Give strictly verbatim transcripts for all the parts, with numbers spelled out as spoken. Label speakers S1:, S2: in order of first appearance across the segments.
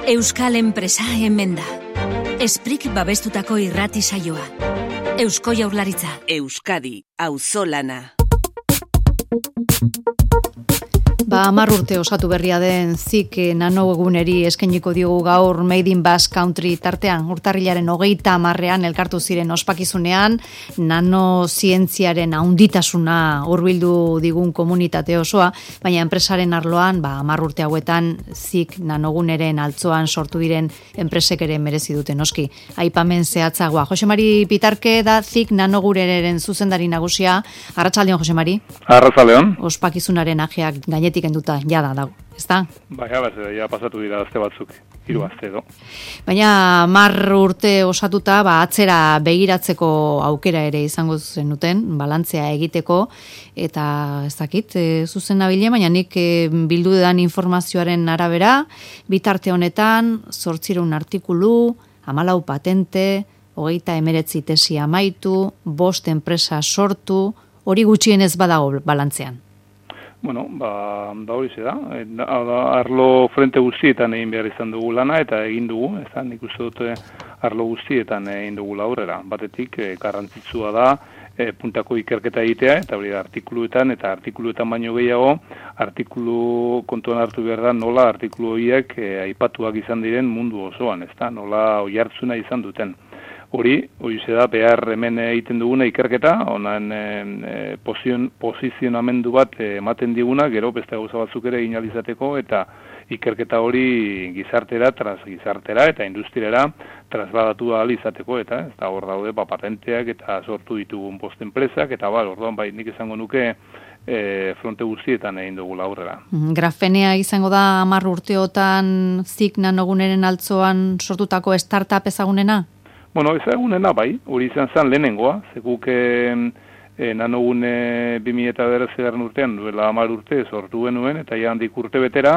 S1: Euskal enpresa hemen da. Esprik babestutako irrati saioa. Eusko Jaurlaritza.
S2: Euskadi, auzolana.
S3: Ba, hamar urte osatu berria den zik nano eguneri eskainiko diogu gaur Made in Basque Country tartean. Urtarrilaren hogeita hamarrean elkartu ziren ospakizunean, nano zientziaren haunditasuna hurbildu digun komunitate osoa, baina enpresaren arloan, ba, hamar urte hauetan zik nanoguneren altzoan sortu diren enpresek ere merezi dute noski. Aipamen zehatzagoa. Jose Mari Pitarke da zik nanogureren zuzendari nagusia. Arratsaldeon, Jose Mari.
S4: Arratsaldeon.
S3: Ospakizunaren ajeak gainetik enduta jada dago, ezta?
S4: Bai, ja pasatu dira azte batzuk, hiru azte edo.
S3: Baina hamar urte osatuta, ba, atzera begiratzeko aukera ere izango zenuten, balantzea egiteko, eta ez dakit, e, zuzen nabile, baina nik e, bildu edan informazioaren arabera, bitarte honetan, zortzireun artikulu, hamalau patente, hogeita emeretzi tesi amaitu, bost enpresa sortu, hori gutxienez badago balantzean.
S4: Bueno, ba, da hori ze da. Arlo frente guztietan egin behar izan dugu lana eta egin dugu, ez da, nik uste dute arlo guztietan egin dugu aurrera. Batetik, e, garrantzitsua da, e, puntako ikerketa egitea, eta hori da, artikuluetan, eta artikuluetan baino gehiago, artikulu kontuan hartu behar da, nola artikulu horiek e, aipatuak izan diren mundu osoan, ez da, nola oihartzuna izan duten. Hori, hori da, behar hemen egiten duguna ikerketa, honan e, posizionamendu bat ematen diguna, gero beste gauza batzuk ere inalizateko, eta ikerketa hori gizartera, tras gizartera, eta industriara trasladatu ahal izateko, eta ez da hor daude, ba, patenteak eta sortu ditugun post enpresak, eta ba, orduan bai nik esango nuke e, fronte guztietan egin dugu laurrera.
S3: Grafenea izango da hamar urteotan zik nanoguneren altzoan sortutako startup ezagunena?
S4: Bueno, ezagunena bai, hori izan zen lehenengoa, zekuk e, nanogune bi mila bederatzigarren urtean, duela hamar urte sortu genuen, eta ja handik urte betera,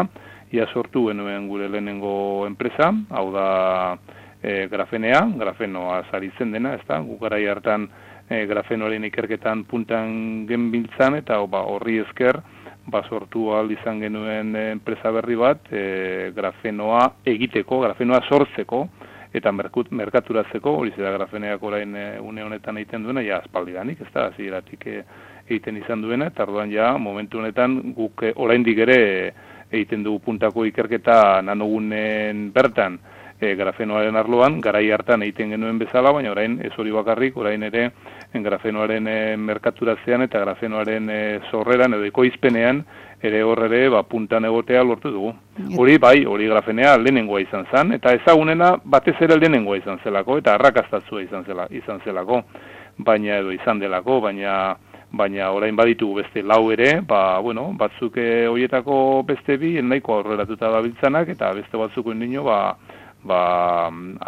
S4: ja sortu genuen gure lehenengo enpresa, hau da e, grafenea, grafenoa zaritzen dena, ez da, gugarai hartan e, grafenoaren ikerketan puntan genbiltzan, eta ba, horri esker, ba, sortu ahal izan genuen enpresa berri bat, e, grafenoa egiteko, grafenoa sortzeko, eta merkut, merkaturatzeko, hori zera grafeneak orain e, une honetan egiten duena, ja aspaldidanik, ez da, hasieratik e, egiten izan duena, eta orduan ja, momentu honetan, guk e, oraindik ere e, egiten dugu puntako ikerketa nanogunen bertan e, grafenoaren arloan, garai hartan egiten genuen bezala, baina orain ez hori bakarrik, orain ere grafenoaren e, merkaturatzean eta grafenoaren e, zorreran edo ekoizpenean, ere horre ba, puntan egotea lortu dugu. Hori bai, hori grafenea lehenengoa izan zen, eta ezagunena batez ere lehenengoa izan zelako, eta arrakastatzua izan, zela, izan zelako, baina edo izan delako, baina baina orain baditugu beste lau ere, ba, bueno, batzuk e, horietako beste bi, nahiko aurreratuta dabiltzanak, eta beste batzuk indino, ba, ba,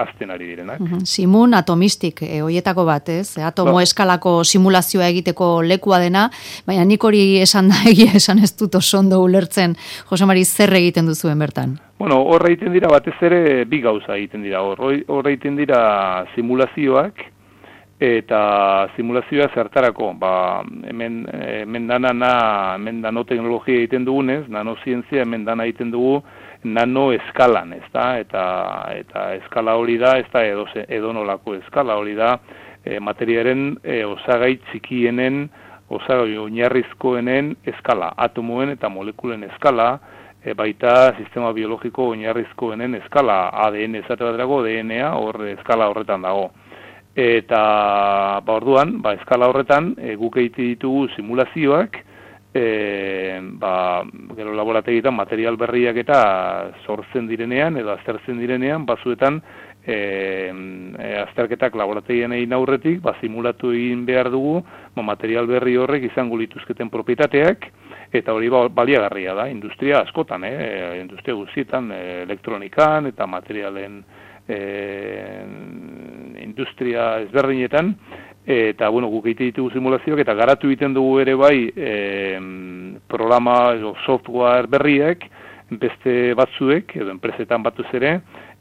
S4: azten ari direnak.
S3: Uh-huh. Simun atomistik, e, hoietako bat, ez? Atomo ba. Eskalako simulazioa egiteko lekua dena, baina nik hori esan da egia esan ez dut oso ondo ulertzen, Jose Mari, zer egiten duzuen bertan?
S4: Bueno, horre egiten dira batez ere bi gauza egiten dira, horre egiten dira simulazioak, eta simulazioa zertarako, ba, hemen, hemen dana, hemen nanoteknologia egiten dugunez, nanozientzia hemen dana egiten dugu, nano eskalan, ez da, eta, eta eskala hori da, ez da edo, edo nolako eskala hori da, e, materiaren e, osagai txikienen, osagai oinarrizkoenen eskala, atomoen eta molekulen eskala, e, baita sistema biologiko oinarrizkoenen eskala, A D N esate baterako, D N A, hor eskala horretan dago. Eta, ba orduan, ba, eskala horretan, e, guk egite ditugu simulazioak, E, ba, gero laborategitan material berriak eta sortzen direnean edo aztertzen direnean, bazuetan e, e, azterketak laborategian egin aurretik, ba, simulatu egin behar dugu, ba, material berri horrek izango lituzketen propietateak, eta hori ba, baliagarria da, industria askotan, eh? industria guztietan, e, elektronikan eta materialen e, industria ezberdinetan, eta, bueno, guk egite ditugu simulazioak, eta garatu egiten dugu ere bai e, programa edo software berriek, beste batzuek, edo enpresetan batuz ere,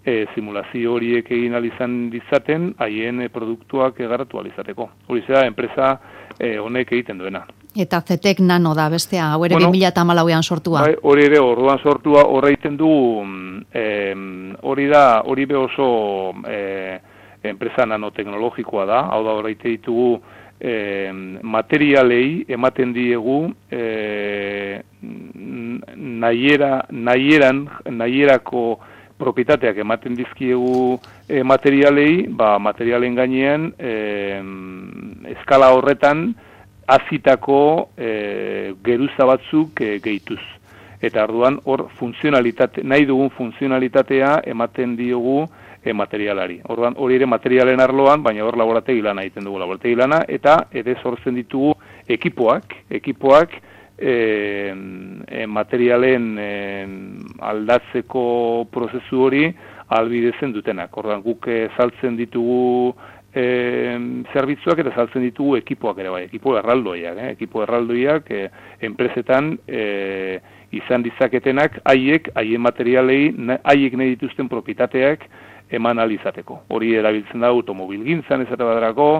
S4: e, simulazio horiek egin alizan ditzaten, haien e, produktuak garatu alizateko. Hori zera, enpresa e, honek egiten duena.
S3: Eta Zetek Nano da bestea, hau ere
S4: bueno,
S3: bi mila hamalauean sortua.
S4: Bai, hori ere orduan sortua horreiten du, eh, hori da, hori be oso eh, enpresa nanoteknologikoa da, hau da horreite ditugu eh, materialei ematen diegu eh, nahiera, nahieran, nahierako propietateak ematen dizkiegu eh, materialei, ba, materialen gainean eh, eskala horretan azitako e, geruza batzuk e, gehituz. Eta orduan hor funtzionalitate, nahi dugun funtzionalitatea ematen diogu e, materialari. Orduan hori ere materialen arloan, baina hor laborategi lana egiten dugu laborategi lana, eta ere sortzen ditugu ekipoak, ekipoak e, e, materialen e, aldatzeko prozesu hori ahalbidetzen dutenak. Orduan guk e, saltzen ditugu E, zerbitzuak eta saltzen ditugu ekipoak ere bai, ekipo erraldoiak, eh? ekipo erraldoiak e, enpresetan e, izan dizaketenak haiek, haien materialei, haiek nahi dituzten propietateak eman alizateko. Hori erabiltzen da automobilgintzan esate baterako,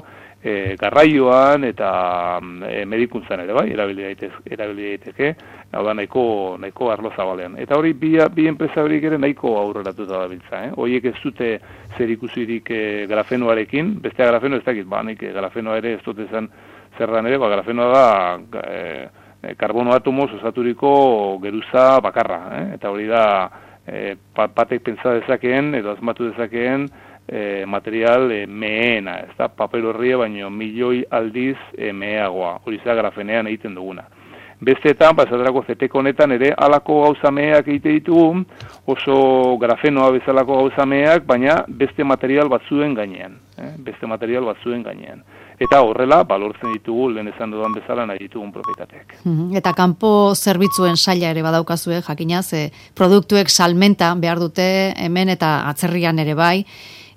S4: e, garraioan eta e, medikuntzan ere bai, erabili daiteke, erabili daiteke, hau da nahiko, nahiko arlo zabalean. Eta hori bi, bi enpresa horiek ere nahiko aurreratuta dabiltza. Eh? Horiek ez dute zer ikusirik e, grafenoarekin, bestea grafeno ez dakit, ba, nik grafenoa ere ez dute zen zerran ere, ba, grafenoa da e, karbono atomoz osaturiko geruza bakarra. Eh? Eta hori da e, batek pentsa dezakeen edo asmatu dezakeen E, material e, meena, ez da, papel horria baino milioi aldiz e, meheagoa, hori za grafenean egiten duguna. Besteetan, pasaterako Zetek honetan ere halako gauza meheak egite ditugu, oso grafenoa bezalako gauza meheak, baina beste material batzuen gainean, eh? beste material batzuen gainean. Eta horrela, balortzen ditugu, lehen esan dudan bezala nahi ditugun propietateak.
S3: Eta kanpo zerbitzuen saila ere badaukazue, jakinaz, e, produktuek salmenta behar dute hemen eta atzerrian ere bai.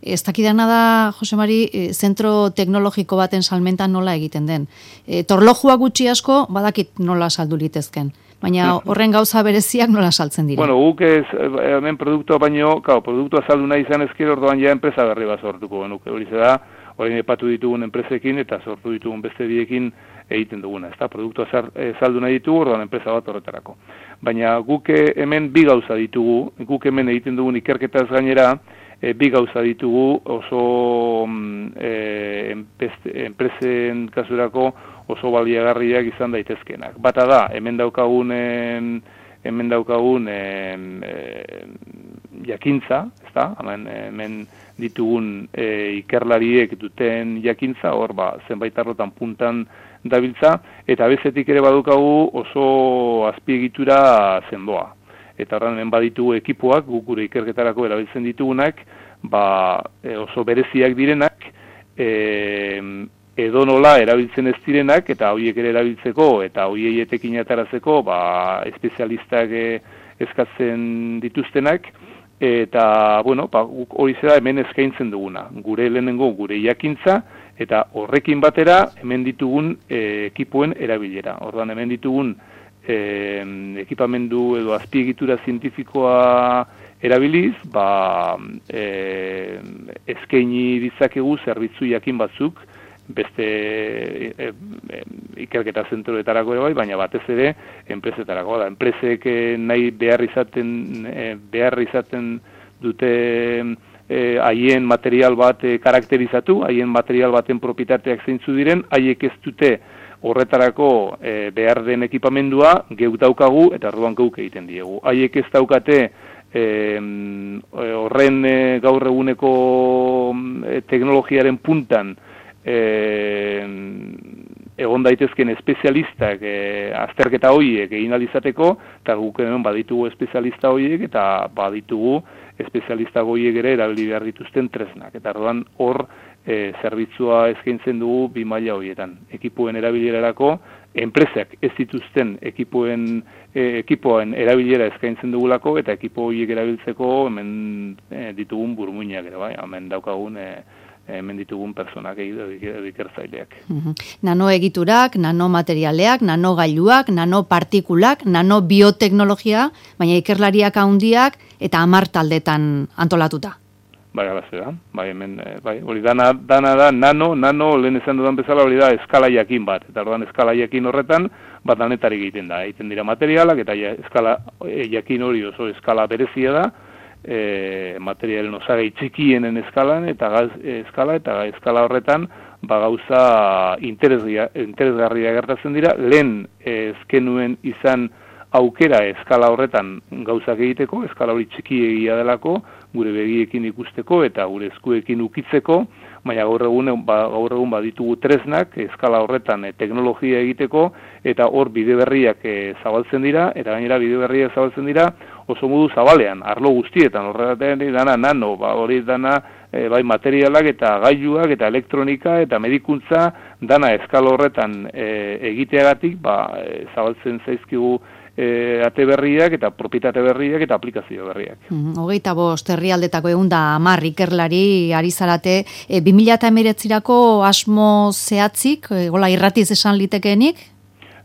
S3: Ez dakidana da, Jose Mari, zentro teknologiko baten salmenta nola egiten den. E, torlojua gutxi asko, badakit nola saldu litezken. Baina horren gauza bereziak nola saltzen dira?
S4: Bueno, guk ez, hemen produktua baino, kao, produktua saldu nahi izan ezkero, orduan ja enpresa berri bat sortuko genuke. Hori da, orain epatu ditugun enpresekin eta sortu ditugun beste biekin egiten duguna. Ez da, produktua saldu nahi ditugu, orduan enpresa bat horretarako. Baina guk hemen bi gauza ditugu, guk hemen egiten dugun ikerketaz gainera, E, bi gauza ditugu oso e, enpresen kasurako oso baliagarriak izan daitezkenak. Bata da, hemen daukagun, hemen daukagun e, e, jakintza, ez da? Hemen, hemen ditugun e, ikerlariek duten jakintza, hor ba, zenbait arlotan puntan dabiltza, eta bezetik ere badukagu oso azpiegitura zendoa. Eta horren hemen baditugu ekipoak, guk gure ikerketarako erabiltzen ditugunak, ba, e, oso bereziak direnak, e, edonola erabiltzen ez direnak, eta horiek ere erabiltzeko, eta horiei etekin atarazeko, ba, espezialistak e, eskatzen dituztenak, eta, bueno, ba, hori zera hemen eskaintzen duguna. Gure lehenengo, gure jakintza, eta horrekin batera hemen ditugun e, ekipoen erabilera. Orduan hemen ditugun E, ekipamendu edo azpiegitura zientifikoa erabiliz, ba, e, eskaini ditzakegu zerbitzu jakin batzuk, beste e, e, ikerketa zentroetarako ere bai, baina batez ere enpresetarako da. Enpresek nahi behar izaten, e, behar izaten dute haien e, material bat e, karakterizatu, haien material baten propietateak zeintzu diren, haiek ez dute horretarako e, behar den ekipamendua geuk daukagu eta orduan geuk egiten diegu. Haiek ez daukate e, horren e, gaur eguneko e, teknologiaren puntan e, egon daitezken espezialistak e, azterketa horiek egin alizateko, eta guk hemen baditugu espezialista horiek eta baditugu espezialista horiek ere erabili behar dituzten tresnak. Eta orduan hor E, zerbitzua eskaintzen dugu bi maila horietan. Ekipoen erabilerarako, enpresak ez dituzten ekipoen, e, ekipoen erabilera eskaintzen dugulako, eta ekipo horiek erabiltzeko hemen e, ditugun burmuinak ere, bai, hemen daukagun e, hemen ditugun personak ikertzaileak.
S3: Nanoegiturak, nanomaterialeak, nanogailuak, nanopartikulak, nanobioteknologia, baina ikerlariak handiak eta hamar taldetan antolatuta.
S4: Bai, alaze da, bai, hemen, bai, hori dana, dana da, nano, nano, lehen esan dudan bezala hori da eskala jakin bat, eta orduan eskala jakin horretan, bat danetarik egiten da, egiten dira materialak, eta ja, eskala e, jakin hori oso eskala berezia da, e, materialen osagai txikienen eskalan, eta gaz, eskala, eta eskala horretan, ba gauza interesgarria gertatzen dira, lehen ezkenuen izan aukera eskala horretan gauzak egiteko, eskala hori txiki egia delako, gure begiekin ikusteko eta gure eskuekin ukitzeko, baina gaur egun, ba, gaur egun baditugu tresnak eskala horretan e, teknologia egiteko, eta hor bide berriak e, zabaltzen dira, eta gainera bide berriak zabaltzen dira oso modu zabalean, arlo guztietan, horretan dana nano, ba, hori dana e, bai materialak eta gailuak eta elektronika eta medikuntza dana eskala horretan e, egiteagatik, ba, e, zabaltzen zaizkigu E, ate berriak eta propietate berriak eta aplikazio berriak.
S3: Mm, hogeita bost herrialdetako egun da hamar ikerlari ari zarate, e, bi mila hemeretzirako asmo zehatzik, e, gola irratiz esan litekeenik?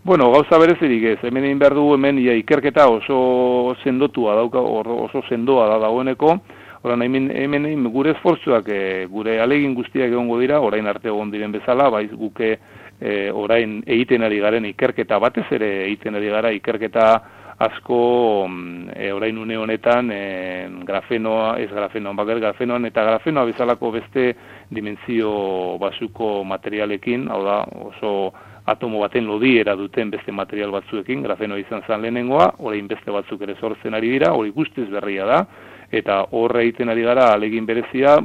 S4: Bueno, gauza berezirik ez, hemen egin behar dugu hemen ia ikerketa oso sendotua dauka, oso sendoa da dagoeneko, orain hemen, hemen gure esfortzuak, e, gure alegin guztiak egongo dira, orain arte egon diren bezala, baiz guke E, orain egiten ari garen ikerketa batez ere egiten ari gara ikerketa asko e, orain une honetan e, grafenoa, ez grafenoa, bakar grafenoan eta grafenoa bezalako beste dimentsio basuko materialekin, hau da oso atomo baten lodiera duten beste material batzuekin, grafenoa izan zen lehenengoa, orain beste batzuk ere sortzen ari dira, hori guztiz berria da, eta horre egiten ari gara alegin berezia,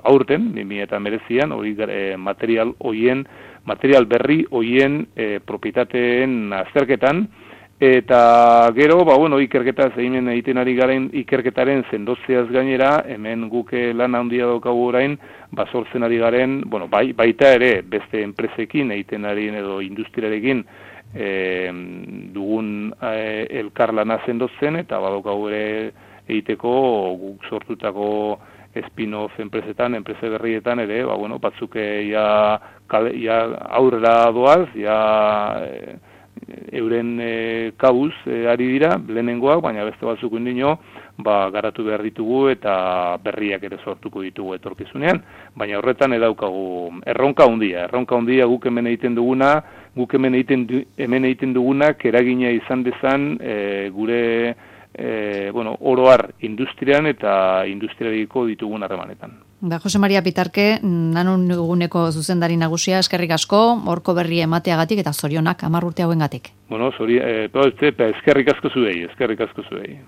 S4: aurten, bi mila hemeretzian, hori e, material hoien material berri hoien e, propietateen azterketan, eta gero, ba, bueno, ikerketa zehimen egiten ari garen ikerketaren zendotzeaz gainera, hemen guke lan handia daukagu orain, ba, sortzen ari garen, bueno, bai, baita ere, beste enpresekin egiten ari edo industriarekin e, dugun e, elkarlana zendotzen, eta badaukagu ere egiteko guk sortutako spin-off enpresetan, enprese berrietan ere, ba, bueno, batzuk ja, ja aurrera doaz, ja e, euren e, kabuz e, ari dira, lehenengoak, baina beste batzuk indino, ba, garatu behar ditugu eta berriak ere sortuko ditugu etorkizunean, baina horretan edaukagu erronka handia, erronka handia guk hemen egiten duguna, guk hemen egiten, hemen egiten dugunak eragina izan dezan e, gure E, bueno, oroar industrian eta industrialiko ditugun harremanetan.
S3: Da, Jose Maria Pitarke, nanon eguneko zuzendari nagusia, eskerrik asko, horko berri emateagatik eta zorionak hamar urte hauengatik.
S4: Bueno, zori, e, eskerrik asko zuei, eskerrik asko zuei.